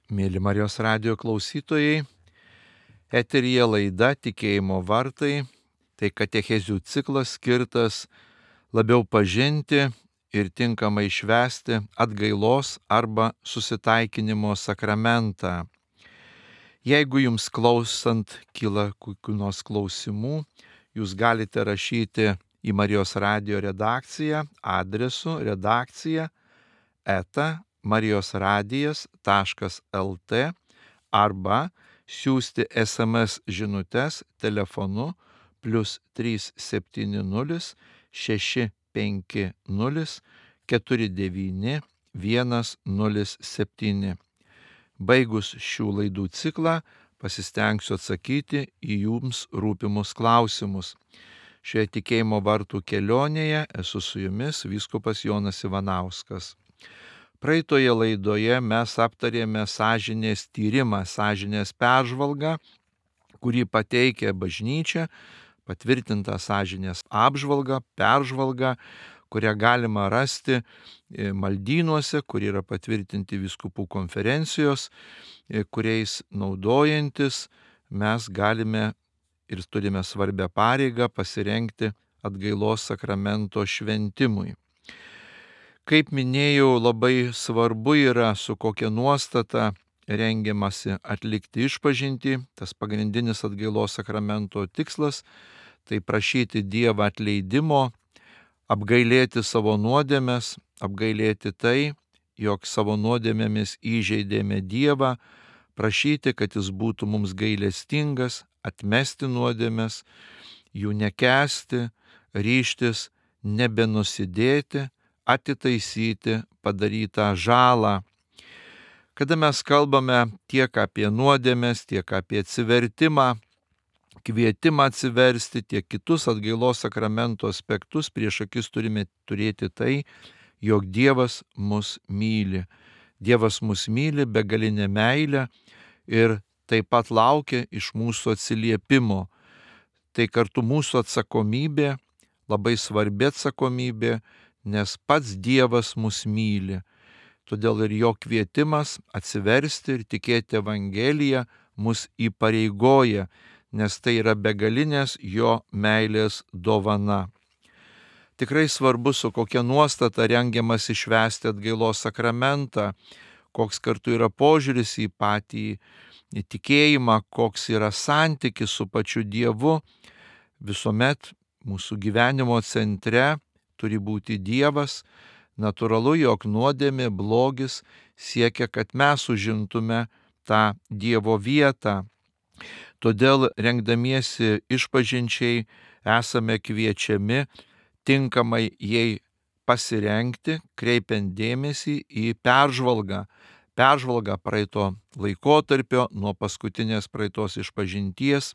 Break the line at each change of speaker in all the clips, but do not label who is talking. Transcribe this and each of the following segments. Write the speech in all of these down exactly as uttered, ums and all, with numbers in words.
Mėly Marijos radijo klausytojai, eteryje laida Tikėjimo vartai, tai katechezių ciklas skirtas labiau pažinti ir tinkamai švęsti atgailos arba susitaikinimo sakramentą. Jeigu jums klausant kyla kokių nors klausimų, jūs galite rašyti į Marijos radijo redakciją adresu redakcija eta marijosradijas taškas lt arba siųsti es em es žinutes telefonu plius trys septyni nulis šeši penki nulis keturi devyni vienas nulis septyni. Baigus šių laidų ciklą pasistengsiu atsakyti į jums rūpimus klausimus. Šioje tikėjimo vartų kelionėje esu su jumis vyskupas Jonas Ivanauskas. Praeitoje laidoje mes aptarėme sąžinės tyrimą, sąžinės peržvalgą, kurį pateikė bažnyčia, patvirtinta sąžinės apžvalga, peržvalga, kurią galima rasti maldynuose, kurie yra patvirtinti vyskupų konferencijos, kuriais naudojantis mes galime ir turime svarbią pareigą pasirengti atgailos sakramento šventimui. Kaip minėjau, labai svarbu yra, su kokia nuostata rengiamasi atlikti išpažintį. Tas pagrindinis atgailos sakramento tikslas - tai prašyti Dievą atleidimo, apgailėti savo nuodėmes, apgailėti tai, jog savo nuodėmėmis įžeidėme Dievą, prašyti, kad Jis būtų mums gailestingas, atmesti nuodėmes, jų nekęsti, ryžtis nebenusidėti, atitaisyti padarytą žalą. Kada mes kalbame tiek apie nuodėmes, tiek apie atsivertimą, kvietimą atsiversti, tiek kitus atgailos sakramento aspektus, prieš akis turime turėti tai, jog Dievas mus myli. Dievas mus myli begalinę meilę ir taip pat laukia iš mūsų atsiliepimo. Tai kartu mūsų atsakomybė, labai svarbi atsakomybė, nes pats Dievas mus myli. Todėl ir jo kvietimas atsiversti ir tikėti Evangeliją mus įpareigoja, nes tai yra begalinės jo meilės dovana. Tikrai svarbu, su kokia nuostata rengiamas išvesti atgailos sakramentą, koks kartu yra požiūris į patį tikėjimą, koks yra santykis su pačiu Dievu. Visuomet mūsų gyvenimo centre turi būti Dievas. Natūralu, jog nuodėmė, blogis siekia, kad mes užimtume tą Dievo vietą. Todėl rengdamiesi išpažinčiai esame kviečiami tinkamai jai pasirengti, kreipiant dėmesį į peržvalgą. Peržvalgą praeito laikotarpio nuo paskutinės praeitos išpažinties.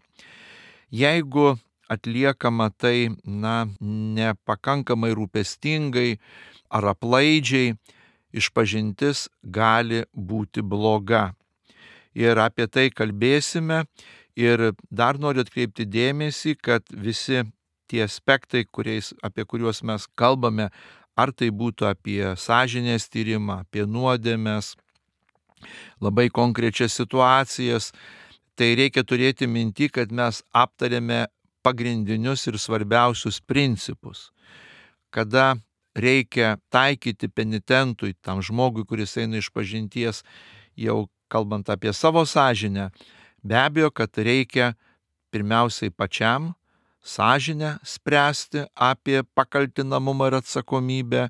Jeigu atliekama tai, na, nepakankamai rūpestingai ar aplaidžiai, išpažintis gali būti bloga. Ir apie tai kalbėsime. Ir dar noriu atkreipti dėmesį, kad visi tie aspektai, kuriais, apie kuriuos mes kalbame, ar tai būtų apie sąžinės tyrimą, apie nuodėmes, labai konkrečias situacijas, tai reikia turėti minty, kad mes aptarėme pagrindinius ir svarbiausius principus. Kada reikia taikyti penitentui, tam žmogui, kuris eina išpažinties, jau kalbant apie savo sąžinę, be abejo, kad reikia pirmiausiai pačiam sąžinę spręsti apie pakaltinamumą ir atsakomybę.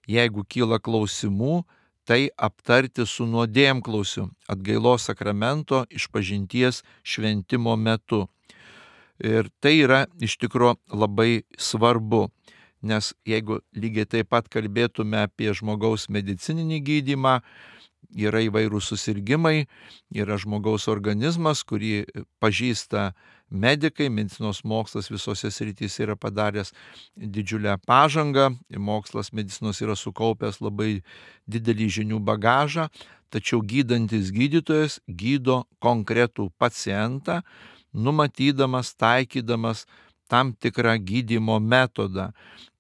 Jeigu kyla klausimų, tai aptarti su nuodėmklausiu atgailos sakramento išpažinties šventimo metu. Ir tai yra iš tikrųjų labai svarbu, nes jeigu lygiai taip pat kalbėtume apie žmogaus medicininį gydymą, yra įvairūs susirgimai, yra žmogaus organizmas, kurį pažįsta medikai, medicinos mokslas visose srityse yra padaręs didžiulę pažangą, mokslas medicinos yra sukaupęs labai didelį žinių bagažą, tačiau gydantis gydytojas gydo konkretų pacientą, numatydamas, taikydamas tam tikrą gydymo metodą.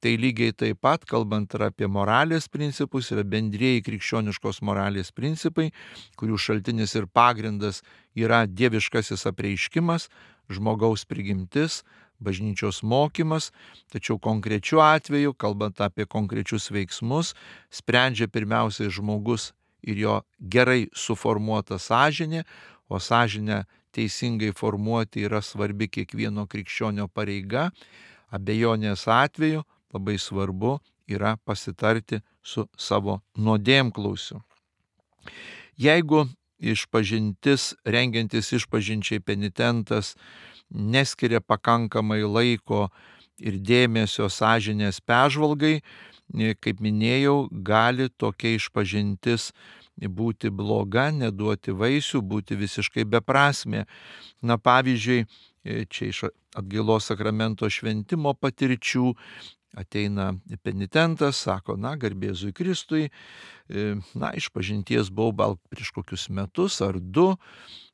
Tai lygiai taip pat, kalbant ir apie moralės principus, yra bendrieji krikščioniškos moralės principai, kurių šaltinis ir pagrindas yra dieviškasis apreiškimas, žmogaus prigimtis, bažnyčios mokymas, tačiau konkrečiu atveju, kalbant apie konkrečius veiksmus, sprendžia pirmiausiai žmogus ir jo gerai suformuota sąžinė, o sąžinę teisingai formuoti yra svarbi kiekvieno krikščionio pareiga. Abejonės atveju labai svarbu yra pasitarti su savo nuodėmklausiu. Jeigu išpažintis, rengiantis išpažinčiai penitentas neskiria pakankamai laiko ir dėmesio sąžinės peržvalgai, kaip minėjau, gali tokia išpažintis būti bloga, neduoti vaisių, būti visiškai beprasmė. Na pavyzdžiui, čia iš atgailos sakramento šventimo patirčių ateina penitentas, sako, na, garbė Jėzui Kristui, na, išpažinties buvau gal prieš kokius metus ar du,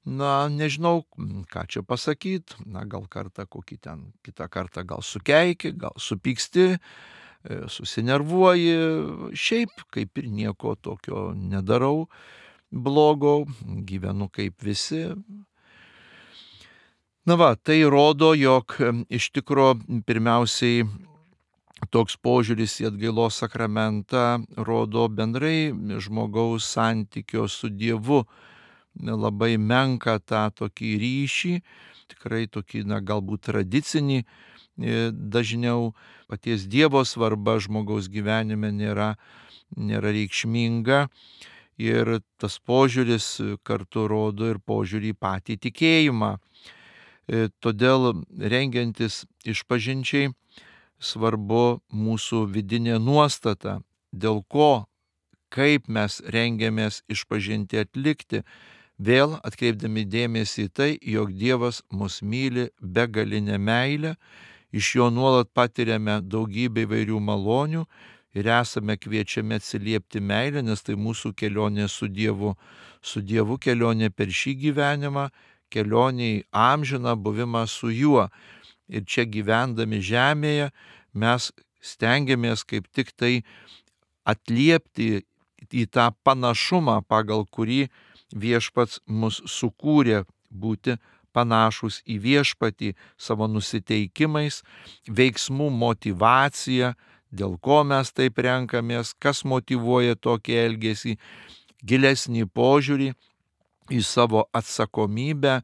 na, nežinau, ką čia pasakyti, na, gal kartą kokį ten, kitą kartą gal sukeiki, gal supyksti, susinervuoji, šiaip kaip ir nieko tokio nedarau blogo, gyvenu kaip visi. Na va, tai rodo, jog iš tikro pirmiausiai toks požiūris į atgailos sakramentą rodo bendrai žmogaus santykio su Dievu labai menką tą tokį ryšį, tikrai tokį, na, galbūt tradicinį, dažniau paties Dievo svarba žmogaus gyvenime nėra, nėra reikšminga ir tas požiūris kartu rodo ir požiūrį į patį tikėjimą. Todėl rengiantis išpažinčiai svarbu mūsų vidinė nuostata, dėl ko, kaip mes rengiamės išpažinti atlikti, vėl atkreipdami dėmesį į tai, jog Dievas mus myli begalinę meilę, iš jo nuolat patiriame daugybę įvairių malonių ir esame kviečiami atsiliepti meilę, nes tai mūsų kelionė su Dievu, su Dievu kelionė per šį gyvenimą, kelionė į amžiną buvimą su juo. Ir čia gyvendami žemėje mes stengiamės kaip tik tai atliepti į tą panašumą, pagal kurį viešpats mus sukūrė, būti panašus į viešpatį savo nusiteikimais, veiksmų motyvacija, dėl ko mes taip renkamės, kas motyvuoja tokį elgesį, gilesnį požiūrį į savo atsakomybę,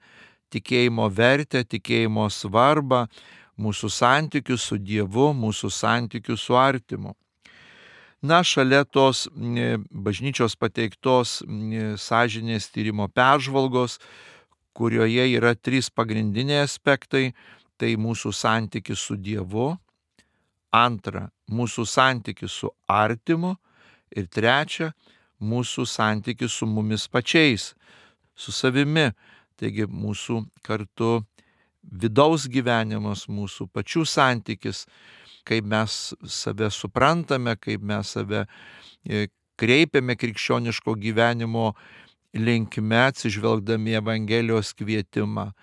tikėjimo vertę, tikėjimo svarbą, mūsų santykius su Dievu, mūsų santykius su artimu. Na, šalia tos bažnyčios pateiktos sąžinės tyrimo peržvalgos, kurioje yra trys pagrindiniai aspektai, tai mūsų santykis su Dievu, antra, mūsų santykis su artimu ir trečia, mūsų santykis su mumis pačiais, su savimi. Taigi mūsų kartu vidaus gyvenimas, mūsų pačių santykis, kaip mes save suprantame, kaip mes save kreipiame krikščioniško gyvenimo linkme, atsižvelgdami Evangelijos kvietimą,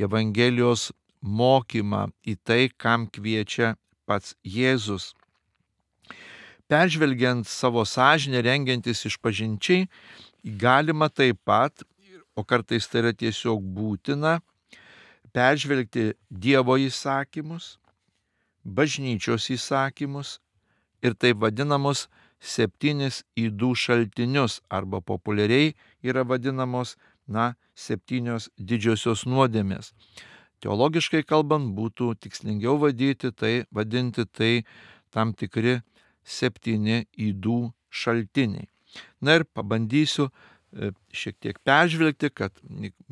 Evangelijos mokymą į tai, kam kviečia pats Jėzus. Peržvelgiant savo sąžinę, rengiantis išpažinčiai, galima taip pat, o kartais tai yra tiesiog būtina, peržvelgti Dievo įsakymus, bažnyčios įsakymus ir taip vadinamus septynis ydų šaltinius, arba populiariai yra vadinamos, na, septynios didžiosios nuodėmės. Teologiškai kalbant, būtų tikslingiau vadinti tai, vadinti tai tam tikri septyni ydų šaltiniai. Na ir pabandysiu šiek tiek peržvelgti, kad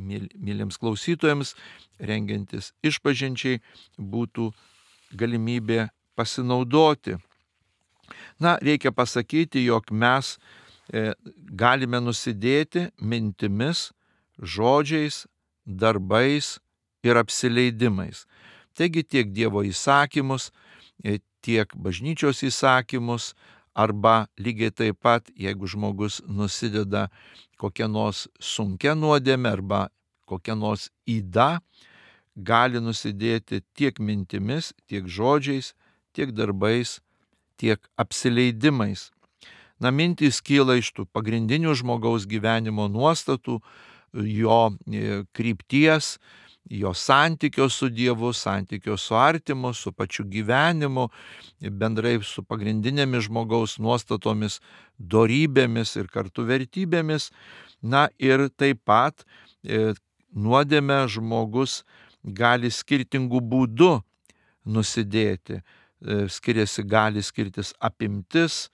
myliems klausytojams, rengiantis išpažinčiai, būtų galimybė pasinaudoti. Na, reikia pasakyti, jog mes galime nusidėti mintimis, žodžiais, darbais ir apsileidimais. Taigi tiek Dievo įsakymus, tiek bažnyčios įsakymus, arba lygiai taip pat, jeigu žmogus nusideda kokią nors sunkią nuodėmę arba kokią nors ydą, gali nusidėti tiek mintimis, tiek žodžiais, tiek darbais, tiek apsileidimais. Na, mintys kyla iš tų pagrindinių žmogaus gyvenimo nuostatų, jo krypties, jo santykio su Dievu, santykio su artimu, su pačiu gyvenimu, bendrai su pagrindinėmis žmogaus nuostatomis, dorybėmis ir kartu vertybėmis. Na ir taip pat e, nuodėmę žmogus gali skirtingų būdų nusidėti. E, skiriasi, gali skirtis apimtis,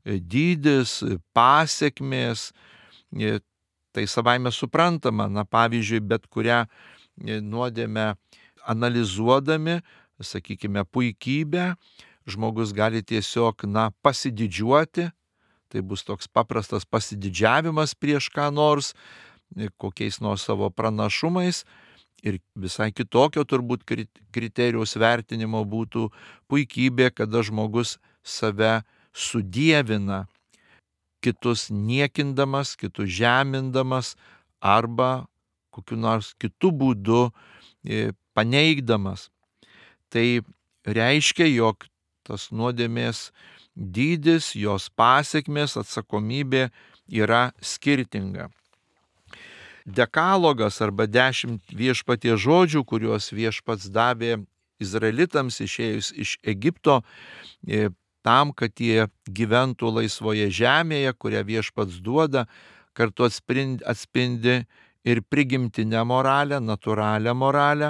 dydis, pasekmės. Tai savaime suprantama, na pavyzdžiui, bet kurią nuodėmę analizuodami, sakykime, puikybę, žmogus gali tiesiog, na, pasididžiuoti, tai bus toks paprastas pasididžiavimas prieš ką nors, kokiais nors savo pranašumais, ir visai kitokio turbūt kriterijus vertinimo būtų puikybė, kada žmogus save sudievina, kitus niekindamas, kitus žemindamas arba kokiu nors kitų būdų paneigdamas. Tai reiškia, jog tas nuodėmės dydis, jos pasekmės, atsakomybė yra skirtinga. Dekalogas arba dešimt viešpaties žodžių, kuriuos viešpats davė izraelitams išėjus iš Egipto, tam, kad jie gyventų laisvoje žemėje, kurią viešpats duoda, kartu atspindi, atspindi ir prigimtinę moralę, natūralią moralę,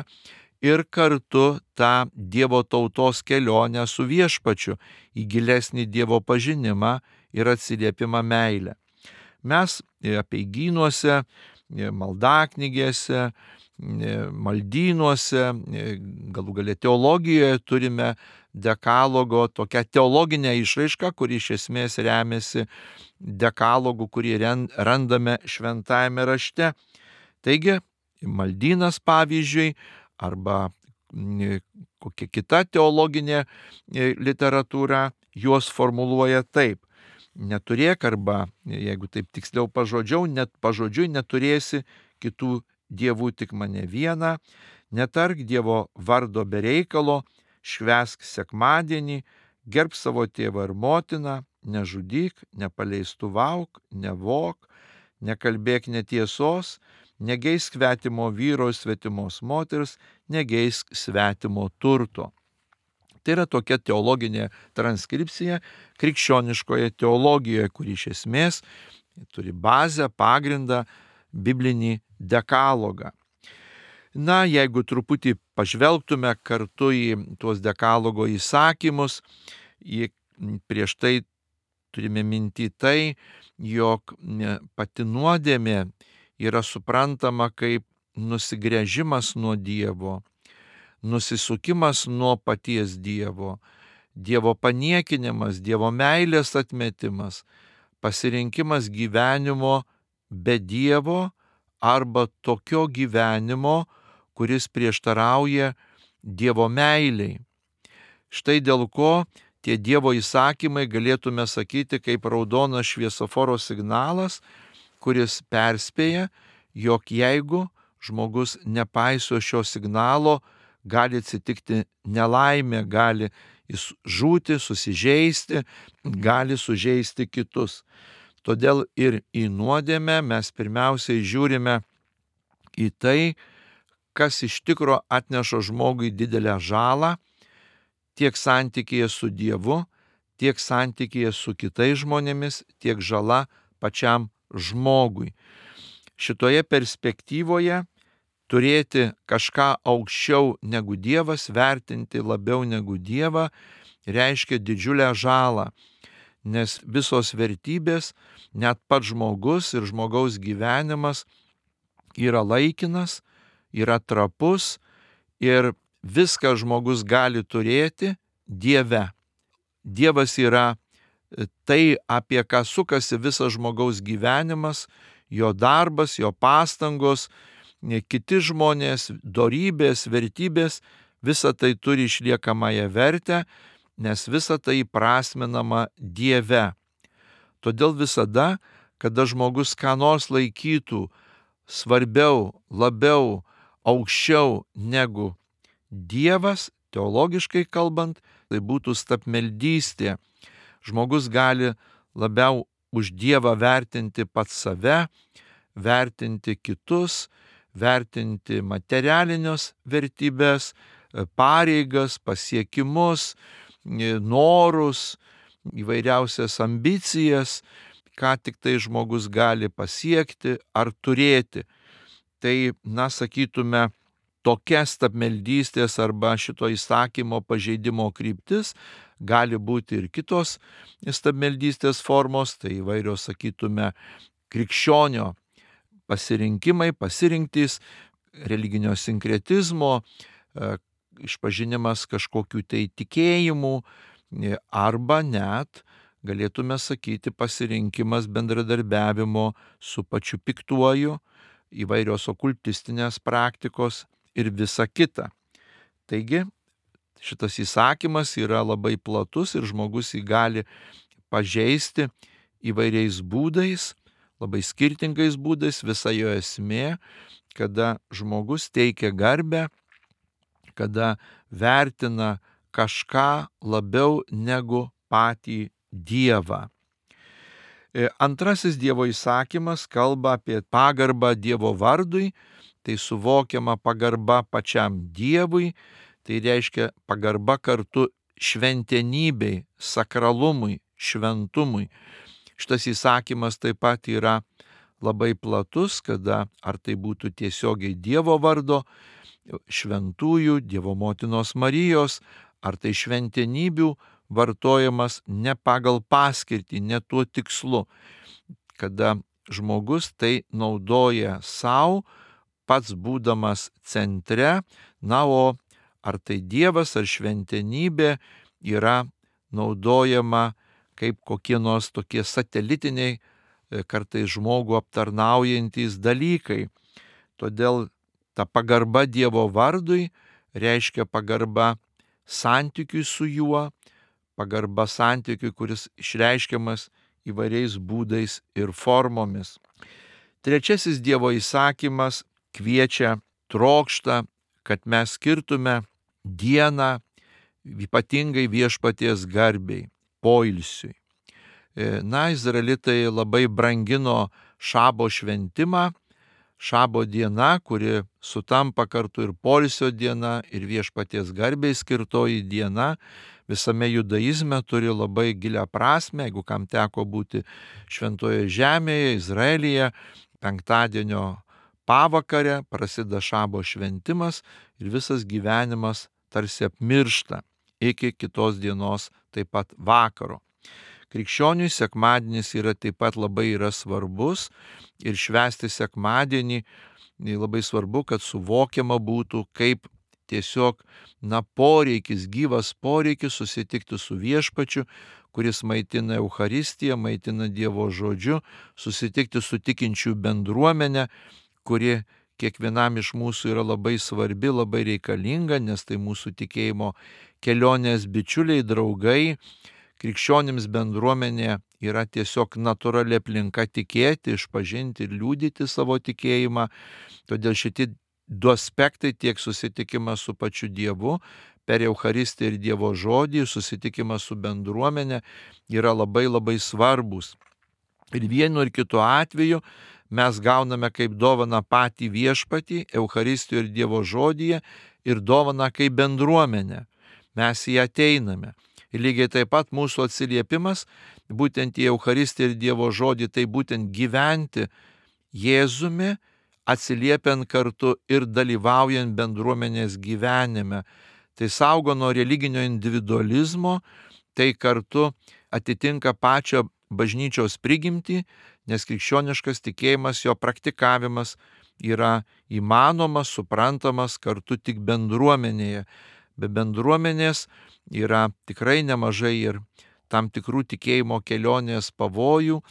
ir kartu tą Dievo tautos kelionę su viešpačiu į gilesnį Dievo pažinimą ir atsiliepimą meilę. Mes apeigynuose, maldaknygėse, maldynuose, galų gale teologijoje turime dekalogo tokią teologinę išraišką, kuri iš esmės remiasi dekalogu, kurį randame šventajame rašte. Taigi, maldynas pavyzdžiui, arba kokia kita teologinė literatūra juos formuluoja taip. Neturėk arba, jeigu taip tiksliau pažodžiau, net pažodžiui neturėsi kitų dievų, tik mane vieną, netark Dievo vardo be reikalo, švęsk sekmadienį, gerbk savo tėvą ir motiną, nežudyk, nepaleistuvavk, nevok, nekalbėk netiesos, negeisk svetimo vyro ir svetimos moters, negeisk svetimo turto. Tai yra tokia teologinė transkripcija krikščioniškoje teologijoje, kuri iš esmės turi bazę, pagrindą, biblinį dekalogą. Na, jeigu truputį pažvelgtume kartu į tuos dekalogo įsakymus, prieš tai turime minti tai, jog pati nuodėmė yra suprantama kaip nusigręžimas nuo Dievo, nusisukimas nuo paties Dievo, Dievo paniekinimas, Dievo meilės atmetimas, pasirinkimas gyvenimo be Dievo arba tokio gyvenimo, kuris prieštarauja Dievo meiliai. Štai dėl ko tie Dievo įsakymai, galėtume sakyti, kaip raudonas šviesoforo signalas, kuris perspėja, jog jeigu žmogus nepaiso šio signalo, gali atsitikti nelaimė, gali jis žūti, susižeisti, gali sužeisti kitus. Todėl ir į nuodėmę mes pirmiausiai žiūrime į tai, kas iš tikro atneša žmogui didelę žalą, tiek santykėje su Dievu, tiek santykėje su kitais žmonėmis, tiek žala pačiam žmogui. Šitoje perspektyvoje turėti kažką aukščiau negu Dievas, vertinti labiau negu Dievą, reiškia didžiulę žalą, nes visos vertybės, net pats žmogus ir žmogaus gyvenimas yra laikinas, yra trapus ir viską žmogus gali turėti Dieve. Dievas yra tai, apie ką sukasi visas žmogaus gyvenimas, jo darbas, jo pastangos, kiti žmonės, dorybės, vertybės, visa tai turi išliekamąją vertę, nes visa tai įprasminama Dieve. Todėl visada, kada žmogus ką nors laikytų svarbiau, labiau aukščiau negu Dievas, teologiškai kalbant, tai būtų stabmeldystė. Žmogus gali labiau už Dievą vertinti pats save, vertinti kitus, vertinti materialinius vertybės, pareigas, pasiekimus, norus, įvairiausias ambicijas, ką tik tai žmogus gali pasiekti ar turėti. Tai, na, sakytume, tokia stabmeldystės arba šito įsakymo pažeidimo kryptis, gali būti ir kitos stabmeldystės formos, tai įvairios, sakytume, krikščionio pasirinkimai, pasirinktys, religinio sinkretizmo, išpažinimas kažkokių tai tikėjimų, arba net, galėtume sakyti, pasirinkimas bendradarbiavimo su pačiu piktuoju, įvairios okultistinės praktikos ir visa kita. Taigi, šitas įsakymas yra labai platus ir žmogus jį gali pažeisti įvairiais būdais, labai skirtingais būdais. Visa jo esmė, kada žmogus teikia garbę, kada vertina kažką labiau negu patį Dievą. Antrasis Dievo įsakymas kalba apie pagarbą Dievo vardui, tai suvokiama pagarba pačiam Dievui, tai reiškia pagarba kartu šventenybei, sakralumui, šventumui. Šitas įsakymas taip pat yra labai platus, kada ar tai būtų tiesiogiai Dievo vardo, šventųjų, Dievo motinos Marijos, ar tai šventenybių vartojamas ne pagal paskirtį, ne tuo tikslu, kada žmogus tai naudoja savo, pats būdamas centre, na, o ar tai Dievas ar šventenybė yra naudojama kaip kokie nors tokie satelitiniai, kartais žmogų aptarnaujantys dalykai. Todėl ta pagarba Dievo vardui reiškia pagarba santykiui su juo, pagarba santykiui, kuris išreiškiamas įvairiais būdais ir formomis. Trečiasis Dievo įsakymas kviečia, trokšta, kad mes skirtume dieną ypatingai viešpaties garbei, poilsiui. Na, izraelitai labai brangino šabo šventimą, šabo diena, kuri sutampa kartu ir poilsio diena, ir viešpaties garbei skirtoji diena, visame judaizme turi labai gilią prasmę. Jeigu kam teko būti šventoje žemėje, Izraelyje, penktadienio pavakarę prasideda šabo šventimas ir visas gyvenimas tarsi apmiršta iki kitos dienos, taip pat vakaro. Krikščioniui sekmadienis yra taip pat labai yra svarbus ir švęsti sekmadienį labai svarbu, kad suvokiama būtų kaip tiesiog, na, poreikis, gyvas poreikis susitikti su viešpačiu, kuris maitina Eucharistiją, maitina Dievo žodžiu, susitikti su tikinčių bendruomenė, kuri kiekvienam iš mūsų yra labai svarbi, labai reikalinga, nes tai mūsų tikėjimo kelionės bičiuliai, draugai. Krikščionims bendruomenė yra tiesiog natūrali aplinka tikėti, išpažinti ir liudyti savo tikėjimą. Todėl šitie du aspektai, tiek susitikimas su pačiu Dievu per Eucharistiją ir Dievo žodį, susitikimas su bendruomenė, yra labai labai svarbus. Ir vienu ir kitu atveju mes gauname kaip dovaną patį viešpatį, Eucharistijoje ir Dievo žodyje, ir dovaną kaip bendruomenė. Mes į ją ateiname. Ir lygiai taip pat mūsų atsiliepimas būtent į Eucharistiją ir Dievo žodį, tai būtent gyventi Jėzumi, atsiliepiant kartu ir dalyvaujant bendruomenės gyvenime. Tai saugo nuo religinio individualizmo, tai kartu atitinka pačią bažnyčios prigimtį, nes krikščioniškas tikėjimas, jo praktikavimas yra įmanomas, suprantamas kartu tik bendruomenėje. Be bendruomenės yra tikrai nemažai ir tam tikrų tikėjimo kelionės pavojų,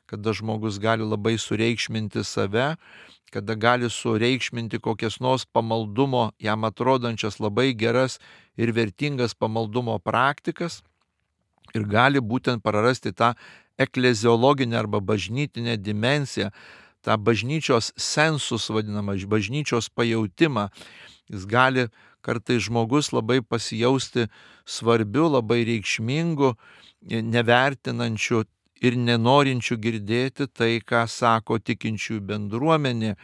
kada žmogus gali labai sureikšminti save, kada gali sureikšminti kokias nors pamaldumo, jam atrodančias labai geras ir vertingas pamaldumo praktikas ir gali būtent prarasti tą ekleziologinę arba bažnytinę dimensiją, tą bažnyčios sensus vadinamą, bažnyčios pajautimą. Jis gali kartais žmogus labai pasijausti svarbiu, labai reikšmingu, nevertinančiu ir nenorinčiu girdėti tai, ką sako tikinčiųjų bendruomenė.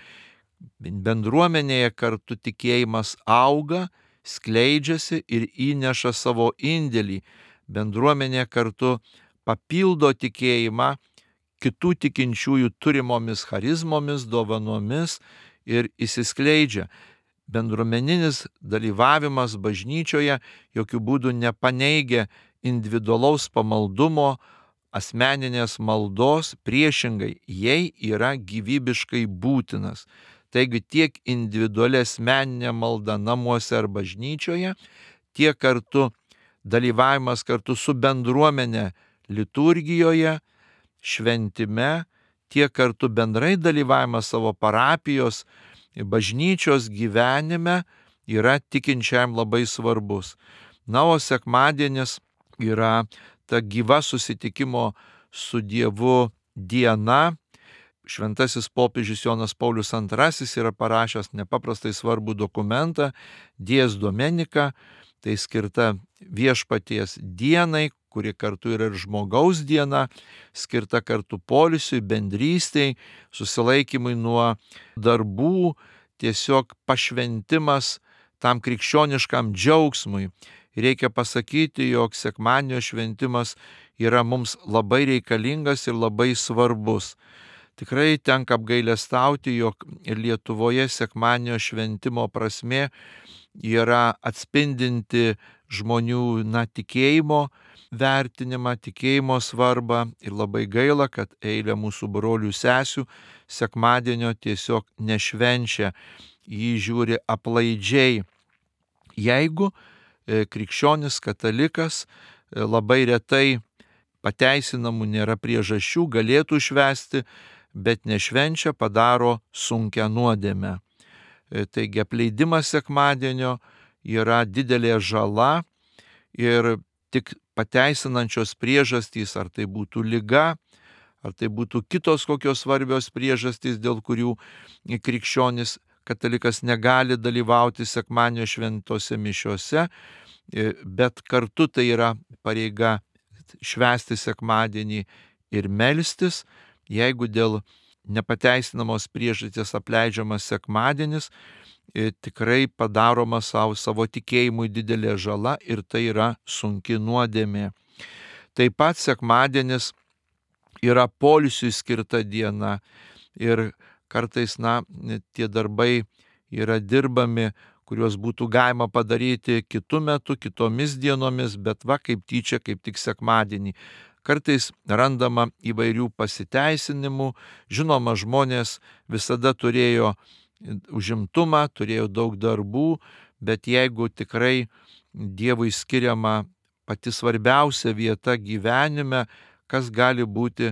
Bendruomenėje kartu tikėjimas auga, skleidžiasi ir įneša savo indėlį. Bendruomenė kartu papildo tikėjimą kitų tikinčiųjų turimomis charizmomis, dovanomis ir įsiskleidžia. Bendruomeninis dalyvavimas bažnyčioje jokių būdų nepaneigia individualaus pamaldumo, asmeninės maldos, priešingai, jai yra gyvybiškai būtinas. Taigi tiek individuali asmeninė malda namuose ar bažnyčioje, tiek kartu dalyvavimas kartu su bendruomenė liturgijoje, šventime, tiek kartu bendrai dalyvavimas savo parapijos, bažnyčios gyvenime yra tikinčiam labai svarbus. Na, o sekmadienis yra ta gyva susitikimo su Dievu diena. Šventasis popiežius Jonas Paulius antrasis yra parašęs nepaprastai svarbų dokumentą Dies Domenica, tai skirta viešpaties dienai, kuri kartu yra ir žmogaus diena, skirta kartu poilsiui, bendrystei, susilaikymui nuo darbų, tiesiog pašventimas tam krikščioniškam džiaugsmui. Reikia pasakyti, jog sekmadienio šventimas yra mums labai reikalingas ir labai svarbus. Tikrai tenka apgailestauti, jog ir Lietuvoje sekmadienio šventimo prasmė yra atspindinti žmonių na, tikėjimo vertinimą, tikėjimo svarbą ir labai gaila, kad eilė mūsų brolių sesių sekmadienio tiesiog nešvenčia, jį žiūri aplaidžiai. Jeigu e, krikščionis katalikas e, labai retai pateisinamų nėra priežasčių, galėtų švęsti, bet nešvenčia, padaro sunkią nuodėmę. E, taigi apleidimas sekmadienio yra didelė žala ir tik pateisinančios priežastys, ar tai būtų liga, ar tai būtų kitos kokios svarbios priežastys, dėl kurių krikščionis katalikas negali dalyvauti sekmadienio šventose mišiose, bet kartu tai yra pareiga švęsti sekmadienį ir melstis. Jeigu dėl nepateisinamos priežasties apleidžiamas sekmadienis, tikrai padaroma savo, savo tikėjimui didelė žala ir tai yra sunki nuodėmė. Taip pat sekmadienis yra poilsiui skirta diena ir kartais, na, tie darbai yra dirbami, kuriuos būtų galima padaryti kitu metu, kitomis dienomis, bet va kaip tyčia, kaip tik sekmadienį. Kartais randama įvairių pasiteisinimų, žinoma, žmonės visada turėjo užimtumą, turėjo daug darbų, bet jeigu tikrai Dievui skiriama pati svarbiausia vieta gyvenime, kas gali būti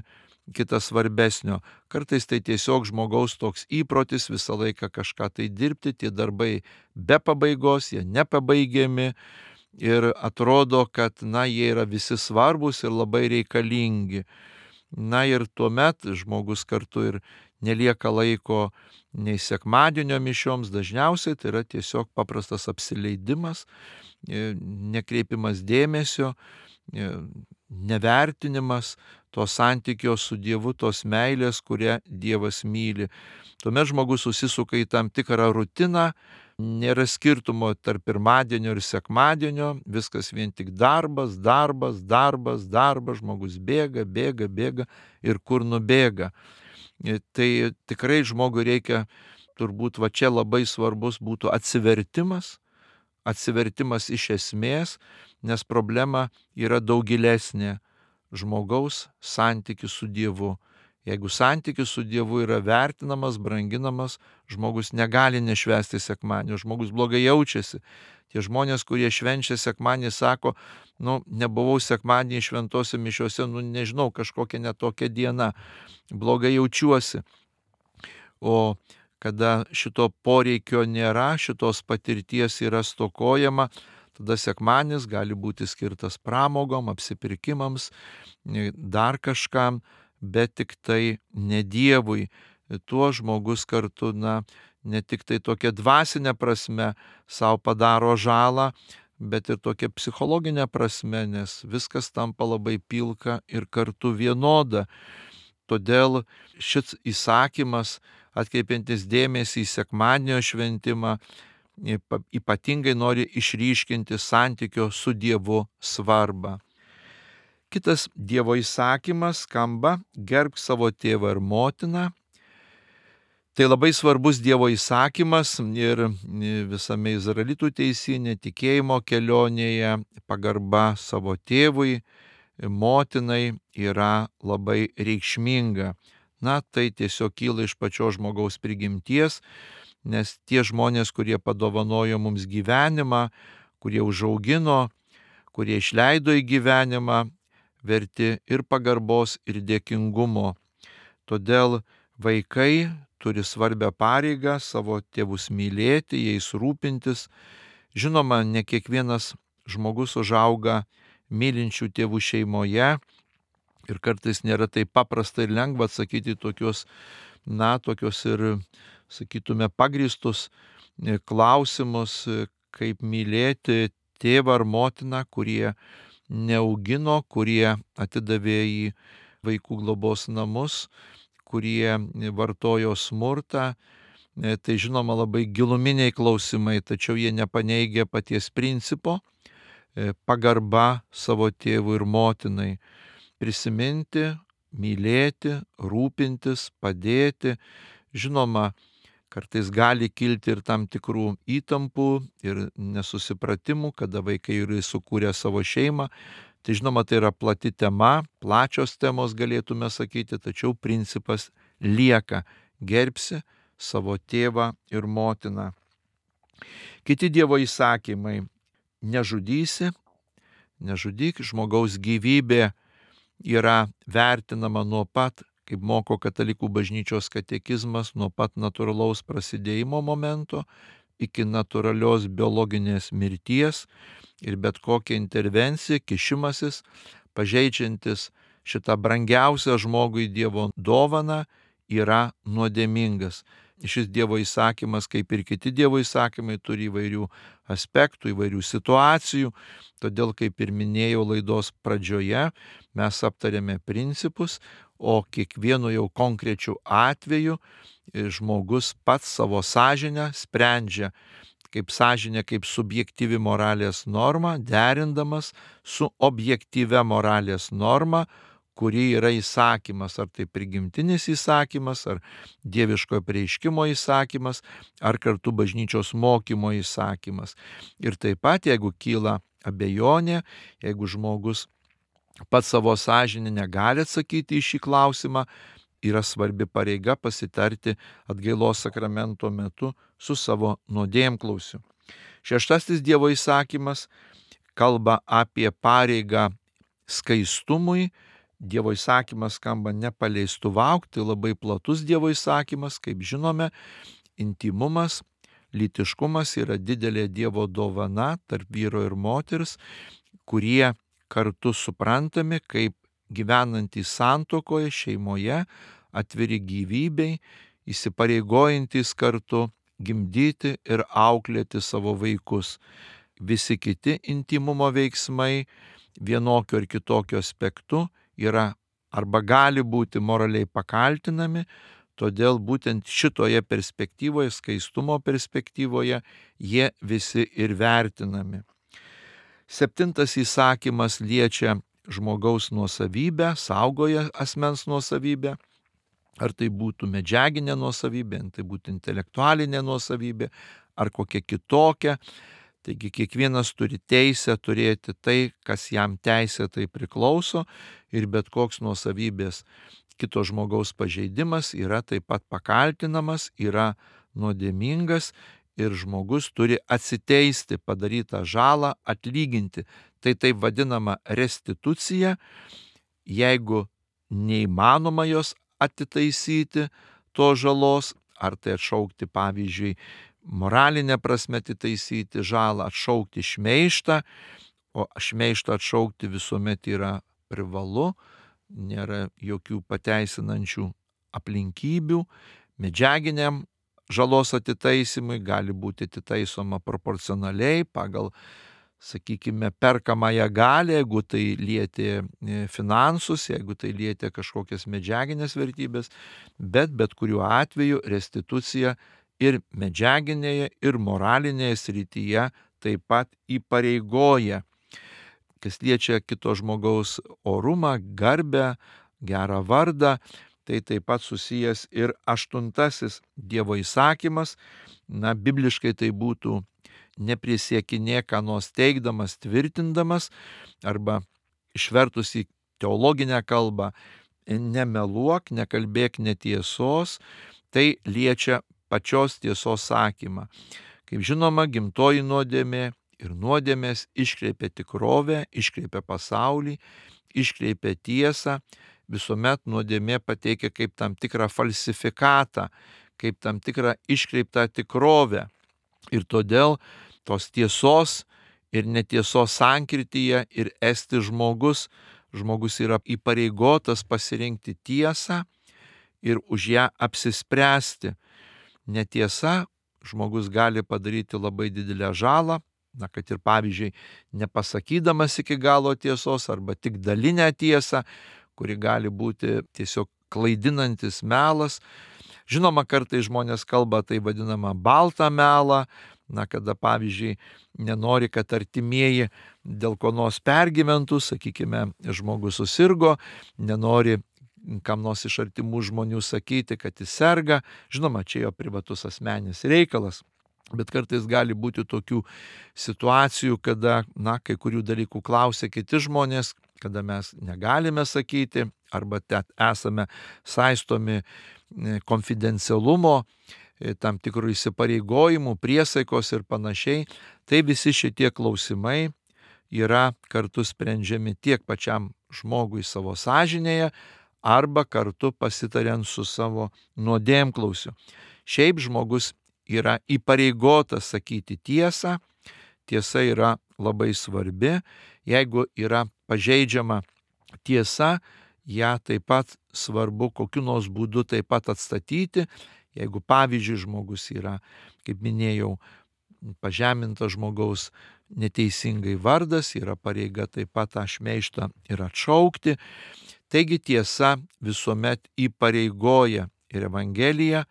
kitas svarbesnio. Kartais tai tiesiog žmogaus toks įprotis visą laiką kažką tai dirbti, tie darbai be pabaigos, jie nepabaigiami ir atrodo, kad na, jie yra visi svarbus ir labai reikalingi. Na ir tuomet žmogus kartu ir nelieka laiko nei sekmadienio mišioms, dažniausiai tai yra tiesiog paprastas apsileidimas, nekreipimas dėmesio, nevertinimas to santykio su Dievu, tos meilės, kurią Dievas myli. Tuomet žmogus susisuka į tam tikrą rutiną, nėra skirtumo tarp pirmadienio ir sekmadienio, viskas vien tik darbas, darbas, darbas, darbas, žmogus bėga, bėga, bėga ir kur nubėga. Tai tikrai žmogui reikia, turbūt va čia labai svarbus būtų atsivertimas, atsivertimas iš esmės, nes problema yra daug gilesnė. Žmogaus santykis su Dievu. Jeigu santykis su Dievu yra vertinamas, branginamas, žmogus negali nešvęsti sekmadienio, žmogus blogai jaučiasi. Tie žmonės, kurie švenčia sekmadienį, sako, nu, nebuvau sekmadienį šventose mišiose, nu, nežinau, kažkokia netokia diena, blogai jaučiuosi. O kada šito poreikio nėra, šitos patirties yra stokojama, tada sekmadienis gali būti skirtas pramogom, apsipirkimams, dar kažkam, bet tik tai ne Dievui. tuo žmogus kartu, na, ne tik tai tokia dvasinė prasme savo padaro žalą, bet ir tokia psichologinė prasme, nes viskas tampa labai pilka ir kartu vienoda. Todėl šis įsakymas, atkreipiantis dėmesį į sekmadienio šventimą, ypatingai nori išryškinti santykio su Dievu svarbą. Kitas Dievo įsakymas skamba: gerbk savo tėvą ir motiną. Tai labai svarbus Dievo įsakymas ir visame izraelitų teisyne, tikėjimo kelionėje pagarba savo tėvui, motinai yra labai reikšminga. Na, tai tiesiog kyla iš pačios žmogaus prigimties, nes tie žmonės, kurie padovanojo mums gyvenimą, kurie užaugino, kurie išleido į gyvenimą, verti ir pagarbos, ir dėkingumo. Todėl vaikai turi svarbią pareigą savo tėvus mylėti, jais rūpintis. Žinoma, ne kiekvienas žmogus užauga mylinčių tėvų šeimoje ir kartais nėra taip paprasta ir lengva atsakyti tokius, na, tokius ir, sakytume, pagrįstus klausimus, kaip mylėti tėvą ar motiną, kurie neaugino, kurie atidavė į vaikų globos namus, kurie vartojo smurtą. Tai žinoma labai giluminiai klausimai, tačiau jie nepaneigia paties principo: pagarba savo tėvui ir motinai. Prisiminti, mylėti, rūpintis, padėti. Žinoma, kartais gali kilti ir tam tikrų įtampų ir nesusipratimų, kada vaikai yra sukūrę savo šeimą. Tai žinoma, tai yra plati tema, plačios temos galėtume sakyti, tačiau principas lieka: gerbsi savo tėvą ir motiną. Kiti Dievo įsakymai: nežudysi, nežudyk. Žmogaus gyvybė yra vertinama nuo pat, kaip moko Katalikų bažnyčios katekizmas, nuo pat natūralaus prasidėjimo momento iki natūralios biologinės mirties, ir bet kokia intervencija, kišimasis, pažeidžiantis šitą brangiausią žmogui Dievo dovaną, yra nuodėmingas. Šis Dievo įsakymas, kaip ir kiti Dievo įsakymai, turi įvairių aspektų, įvairių situacijų. Todėl, kaip ir minėjau laidos pradžioje, mes aptarėme principus, o kiekvienu jau konkrečiu atveju žmogus pats savo sąžinę sprendžia, kaip sąžinė, kaip subjektyvi moralės norma, derindamas su objektyvia moralės norma, kuri yra įsakymas, ar tai prigimtinis įsakymas, ar dieviško apreiškimo įsakymas, ar kartu bažnyčios mokymo įsakymas. Ir taip pat, jeigu kyla abejonė, jeigu žmogus pats savo sąžinę negali atsakyti į šį klausimą, yra svarbi pareiga pasitarti atgailos sakramento metu su savo nuodėmklausiu. Šeštasis Dievo įsakymas kalba apie pareigą skaistumui. Dievo įsakymas skamba nepaleistuvauk, tai labai platus Dievo įsakymas, kaip žinome, intymumas, lytiškumas yra didelė Dievo dovana tarp vyro ir moters, kurie kartu suprantami kaip gyvenantys santuokoje, šeimoje, atviri gyvybei, įsipareigojantys kartu gimdyti ir auklėti savo vaikus. Visi kiti intymumo veiksmai vienokiu ar kitokiu aspektu yra arba gali būti moraliai pakaltinami, todėl būtent šitoje perspektyvoje, skaistumo perspektyvoje, jie visi ir vertinami. Septintas įsakymas liečia žmogaus nuosavybę, saugoja asmens nuosavybę, ar tai būtų medžiaginė nuosavybė, ar tai būtų intelektualinė nuosavybė, ar kokia kitokia. Taigi kiekvienas turi teisę turėti tai, kas jam teisėtai priklauso, ir bet koks nuosavybės kito žmogaus pažeidimas yra taip pat pakaltinamas, yra nuodėmingas, ir žmogus turi atsiteisti padarytą žalą, atlyginti. Tai taip vadinama restitucija. Jeigu neįmanoma jos atitaisyti, to žalos, ar tai atšaukti, pavyzdžiui, moralinė prasme atitaisyti žalą, atšaukti šmeižtą, o šmeižtą atšaukti visuomet yra privalu, nėra jokių pateisinančių aplinkybių, medžiaginiam žalos atitaisymui, gali būti atitaisoma proporcionaliai pagal, sakykime, perkamąją galią, jeigu tai lietė finansus, jeigu tai lietė kažkokias medžiaginės vertybės, bet bet kuriuo atveju restitucija ir medžiaginėje, ir moralinėje srityje taip pat įpareigoja. Kas liečia kito žmogaus orumą, garbę, gerą vardą, tai taip pat susijęs ir aštuntasis Dievo įsakymas. Na, bibliškai tai būtų neprisiekinėk ką nors teigdamas, tvirtindamas, arba išvertus į teologinę kalbą, nemeluok, nekalbėk netiesos, tai liečia pačios tiesos sakymą. Kaip žinoma, gimtoji nuodėmė ir nuodėmės iškreipia tikrovę, iškreipia pasaulį, iškreipia tiesą, visuomet nuodėmė pateikia kaip tam tikrą falsifikatą, kaip tam tikrą iškreiptą tikrovę. Ir todėl tos tiesos ir netiesos sankirtyje ir esti žmogus, žmogus yra įpareigotas pasirinkti tiesą ir už ją apsispręsti. Netiesa, žmogus gali padaryti labai didelę žalą, na, kad ir pavyzdžiui, nepasakydamas iki galo tiesos arba tik dalinę tiesą, kuri gali būti tiesiog klaidinantis melas. Žinoma, kartais žmonės kalba tai vadinamą baltą melą, na, kada pavyzdžiui nenori, kad artimieji dėl ko nors pergyventų, sakykime, žmogus susirgo, nenori kam nors iš artimų žmonių sakyti, kad jis serga. Žinoma, čia jo privatus asmeninis reikalas. Bet kartais gali būti tokių situacijų, kada, na, kai kurių dalykų klausia kiti žmonės, kada mes negalime sakyti, arba ten esame saistomi konfidencialumo, tam tikrų įsipareigojimų, priesaikos ir panašiai. Tai visi šitie klausimai yra kartu sprendžiami tiek pačiam žmogui savo sąžinėje, arba kartu pasitariant su savo nuodėmklausiu. Šiaip žmogus yra įpareigotas sakyti tiesą, tiesa yra labai svarbi, jeigu yra pažeidžiama tiesa, ją taip pat svarbu kokiu nors būdu taip pat atstatyti. Jeigu pavyzdžiui žmogus yra, kaip minėjau, pažemintas žmogaus neteisingai vardas, yra pareiga taip pat tą šmeižtą ir atšaukti. Taigi tiesa visuomet įpareigoja ir Evangelija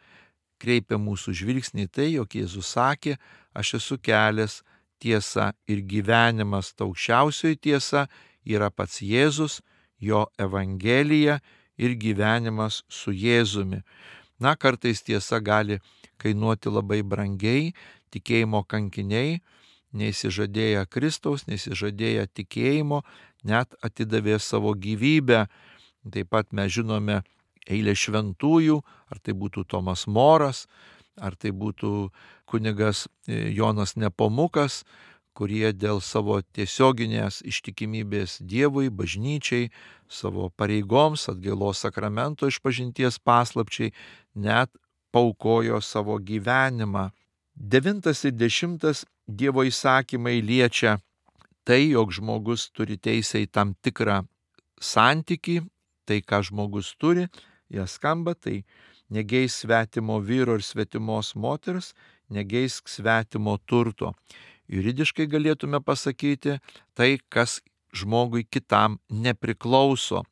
kreipia mūsų žvilgsnį į tai, jog Jėzus sakė, aš esu kelias, tiesa ir gyvenimas. Ta aukščiausioji tiesa yra pats Jėzus, jo Evangelija ir gyvenimas su Jėzumi. Na, kartais tiesa gali kainuoti labai brangiai, tikėjimo kankiniai, neįsižadėję Kristaus, neįsižadėję tikėjimo, net atidavė savo gyvybę. Taip pat mes žinome eilę šventųjų, ar tai būtų Tomas Moras, ar tai būtų kunigas Jonas Nepomukas, kurie dėl savo tiesioginės ištikimybės Dievui, bažnyčiai, savo pareigoms, atgailos sakramento išpažinties paslapčiai, net paaukojo savo gyvenimą. Devintas ir dešimtas Dievo įsakymai liečia tai, jog žmogus turi teisę į tam tikrą santykį, tai ką žmogus turi, jie skamba, tai negeisk svetimo vyro ir svetimos moters, negeisk svetimo turto. Juridiškai galėtume pasakyti tai, kas žmogui kitam nepriklauso.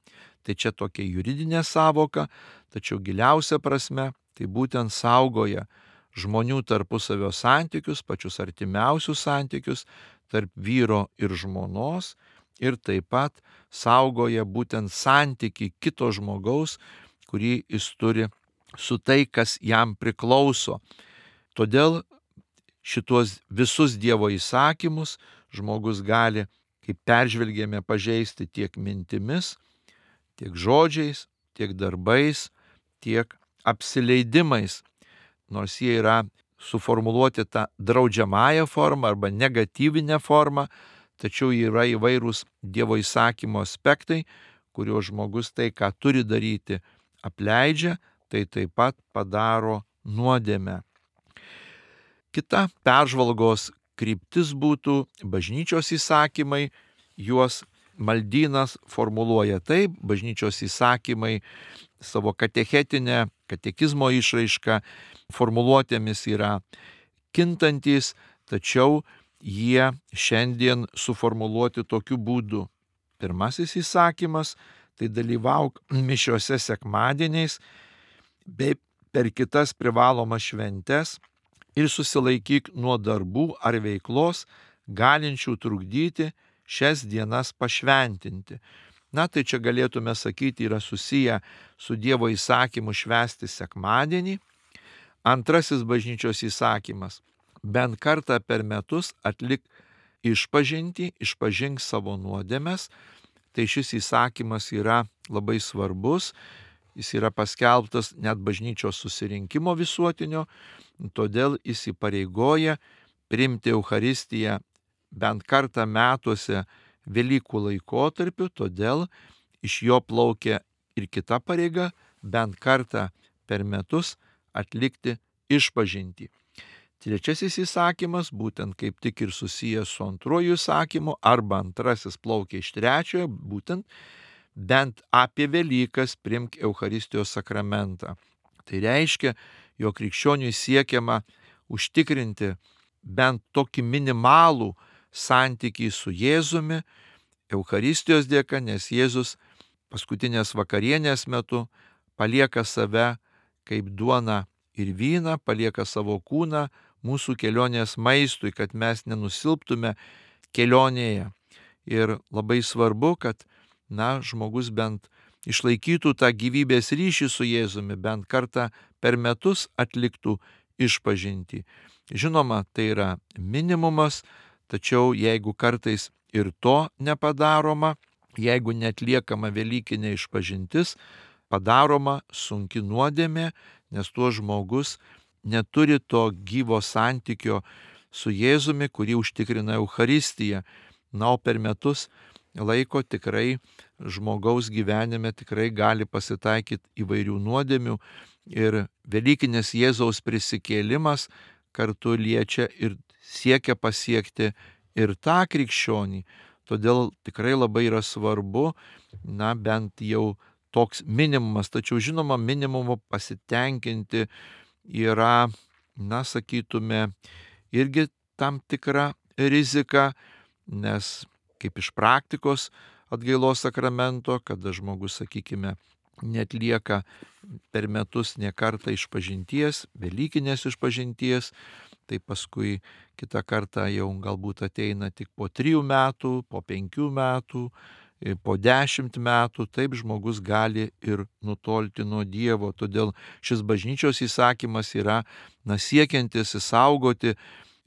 Tai čia tokia juridinė savoka, tačiau giliausia prasme tai būtent saugoja žmonių tarpusavio santykius, pačius artimiausius santykius tarp vyro ir žmonos, ir taip pat saugoja būtent santyki kito žmogaus, kurį jis turi su tai, kas jam priklauso. Todėl šitos visus Dievo įsakymus žmogus gali, kaip peržvelgėme, pažeisti tiek mintimis, tiek žodžiais, tiek darbais, tiek apsileidimais, nors jie yra suformuluoti tą draudžiamąją formą arba negatyvinę formą, tačiau yra įvairūs Dievo įsakymo aspektai, kuriuo žmogus tai, ką turi daryti, apleidžia, tai taip pat padaro nuodėmę. Kita peržvalgos kryptis būtų bažnyčios įsakymai, juos Maldynas formuluoja taip, bažnyčios įsakymai savo katechetinę katekizmo išraiška, formuluotėmis yra kintantys, tačiau jie šiandien suformuluoti tokiu būdu. Pirmasis įsakymas – tai dalyvauk mišiose sekmadieniais bei per kitas privalomas šventes ir susilaikyk nuo darbų ar veiklos, galinčių trukdyti šias dienas pašventinti. Na, tai čia galėtume sakyti yra susiję su Dievo įsakymu švęsti sekmadienį. Antrasis bažnyčios įsakymas – bent kartą per metus atlik išpažintį, išpažink savo nuodėmes. Tai šis įsakymas yra labai svarbus, jis yra paskelbtas net bažnyčios susirinkimo visuotinio, todėl jis įpareigoja priimti Eucharistiją bent kartą metuose Velykų laikotarpiu, todėl iš jo plaukia ir kita pareiga bent kartą per metus atlikti išpažintį. Trečiasis įsakymas, būtent kaip tik ir susijęs su antruoju įsakymu, arba antrasis plaukia iš trečiojo, būtent bent apie Velykas priimk Eucharistijos sakramentą. Tai reiškia, jog krikščioniui siekiama užtikrinti bent tokį minimalų santykį su Jėzumi Eucharistijos dėka, nes Jėzus paskutinės vakarienės metu palieka save kaip duoną ir vyną, palieka savo kūną mūsų kelionės maistui, kad mes nenusilptume kelionėje. Ir labai svarbu, kad na, žmogus bent išlaikytų tą gyvybės ryšį su Jėzumi, bent kartą per metus atliktų išpažintį. Žinoma, tai yra minimumas, tačiau jeigu kartais ir to nepadaroma, jeigu netliekama velykinė išpažintis, padaroma sunki nuodėmė, nes tuo žmogus neturi to gyvo santykio su Jėzumi, kurį užtikrina Eucharistija. Na, o per metus laiko tikrai žmogaus gyvenime tikrai gali pasitaikyti įvairių nuodėmių ir Velykinis Jėzaus prisikėlimas kartu liečia ir siekia pasiekti ir tą krikščionį. Todėl tikrai labai yra svarbu, na, bent jau toks minimumas, tačiau žinoma, minimumu pasitenkinti yra, na, sakytume, irgi tam tikra rizika, nes kaip iš praktikos atgailos sakramento, kada žmogus, sakykime, netlieka per metus nė kartą išpažinties, velykinės išpažinties, tai paskui kitą kartą jau galbūt ateina tik po trijų metų, po penkių metų, po dešimt metų, taip žmogus gali ir nutolti nuo Dievo. Todėl šis bažnyčios įsakymas yra, na, siekiantis išsaugoti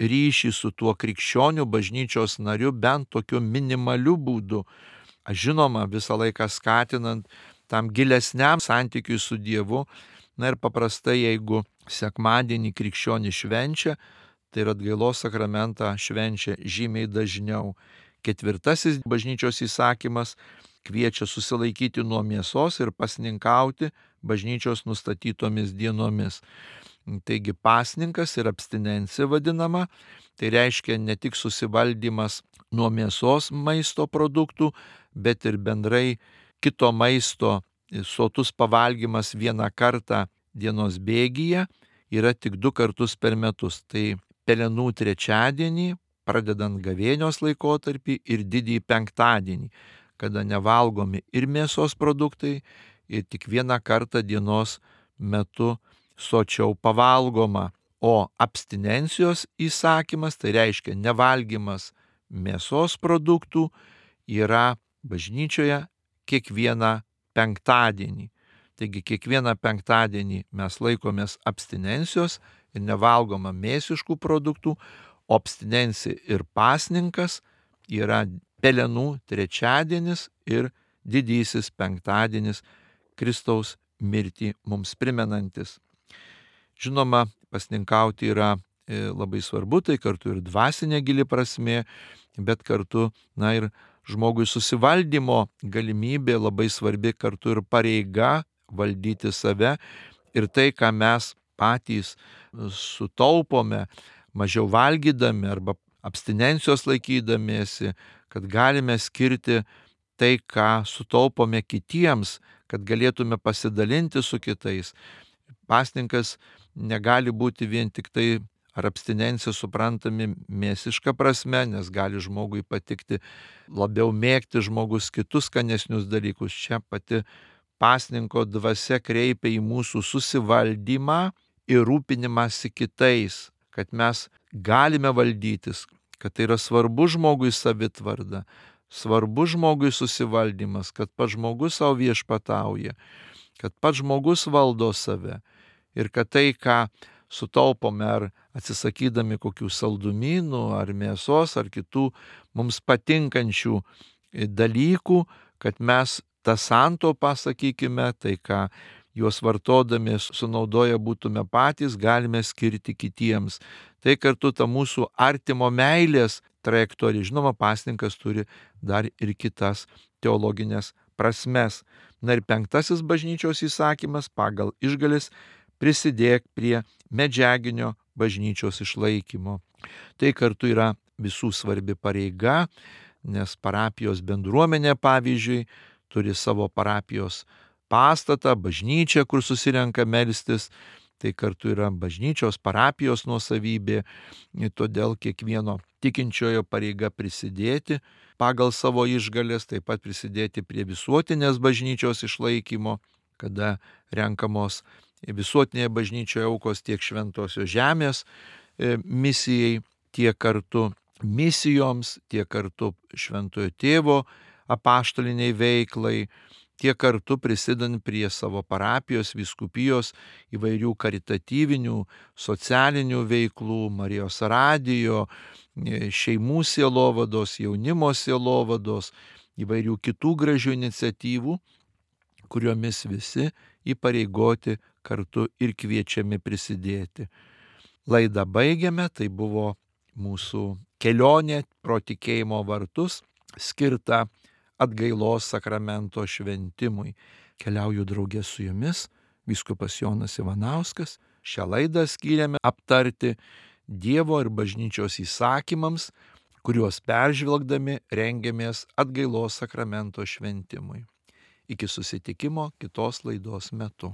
ryšį su tuo krikščioniu bažnyčios nariu bent tokiu minimaliu būdu. Žinoma, visą laiką skatinant tam gilesniam santykiui su Dievu. Na ir paprastai, jeigu sekmadienį krikščionį švenčia, tai ir atgailos sakramentą švenčia žymiai dažniau. Ketvirtasis bažnyčios įsakymas kviečia susilaikyti nuo mėsos ir pasninkauti bažnyčios nustatytomis dienomis. Taigi pasninkas ir abstinencija vadinama, tai reiškia ne tik susivaldymas nuo mėsos maisto produktų, bet ir bendrai kito maisto sotus pavalgymas vieną kartą dienos bėgyje yra tik du kartus per metus. Tai pelenų trečiadienį, pradedant gavėnios laikotarpį ir didįjį penktadienį, kada nevalgomi ir mėsos produktai, ir tik vieną kartą dienos metu sočiau pavalgoma. O abstinencijos įsakymas, tai reiškia nevalgymas mėsos produktų, yra bažnyčioje kiekvieną penktadienį. Taigi kiekvieną penktadienį mes laikomės abstinencijos ir nevalgoma mėsiškų produktų, o abstinencija ir pasninkas yra pelenų trečiadienis ir didysis penktadienis, Kristaus mirtį mums primenantis. Žinoma, pasninkauti yra labai svarbu, tai kartu ir dvasinė gili prasmė, bet kartu, na, ir žmogui susivaldymo galimybė labai svarbi, kartu ir pareiga valdyti save ir tai, ką mes patys sutaupome, mažiau valgydami arba abstinencijos laikydamiesi, kad galime skirti tai, ką sutaupome kitiems, kad galėtume pasidalinti su kitais. pasninkas negali būti vien tik tai ar abstinencija suprantami mėsiška prasme, nes gali žmogui patikti labiau mėgti žmogus kitus skanesnius dalykus. Čia pati pasninko dvasia kreipia į mūsų susivaldymą ir rūpinimąsi kitais, kad mes galime valdytis, kad tai yra svarbu žmogui savitvarda, svarbu žmogui susivaldymas, kad pats žmogus savo viešpatauja, kad pats žmogus valdo save ir kad tai, ką sutaupome ar atsisakydami kokių saldumynų ar mėsos ar kitų mums patinkančių dalykų, kad mes tą santaupą, sakykime, tai ką juos vartodami sunaudoję būtume patys, galime skirti kitiems. Tai kartu ta mūsų artimo meilės trajektorija. Žinoma, pasninkas turi dar ir kitas teologinės prasmes. Na ir penktasis bažnyčios įsakymas pagal išgales prisidėk prie medžiaginio bažnyčios išlaikymo. Tai kartu yra visų svarbi pareiga, nes parapijos bendruomenė, pavyzdžiui, turi savo parapijos pastatą, bažnyčią, kur susirenka melstis. Tai kartu yra bažnyčios parapijos nuosavybė, todėl kiekvieno tikinčiojo pareiga prisidėti pagal savo išgales, taip pat prisidėti prie visuotinės bažnyčios išlaikymo, kada renkamos visuotinėje bažnyčioje aukos tiek šventosios žemės misijai, tiek kartu misijoms, tiek kartu šventojo tėvo apaštaliniai veiklai, tiek kartu prisidant prie savo parapijos, vyskupijos įvairių karitatyvinių, socialinių veiklų, Marijos radijo, šeimų sielovados, jaunimo sielovados, įvairių kitų gražių iniciatyvų, kuriomis visi įpareigoti kartu ir kviečiami prisidėti. Laidą baigiame, tai buvo mūsų kelionė pro tikėjimo vartus, skirta atgailos sakramento šventimui. Keliauju draugė su jumis, vyskupas Jonas Ivanauskas. Šią laidą skyrėme aptarti Dievo ir bažnyčios įsakymams, kuriuos peržvelgdami rengiamės atgailos sakramento šventimui. Iki susitikimo kitos laidos metu.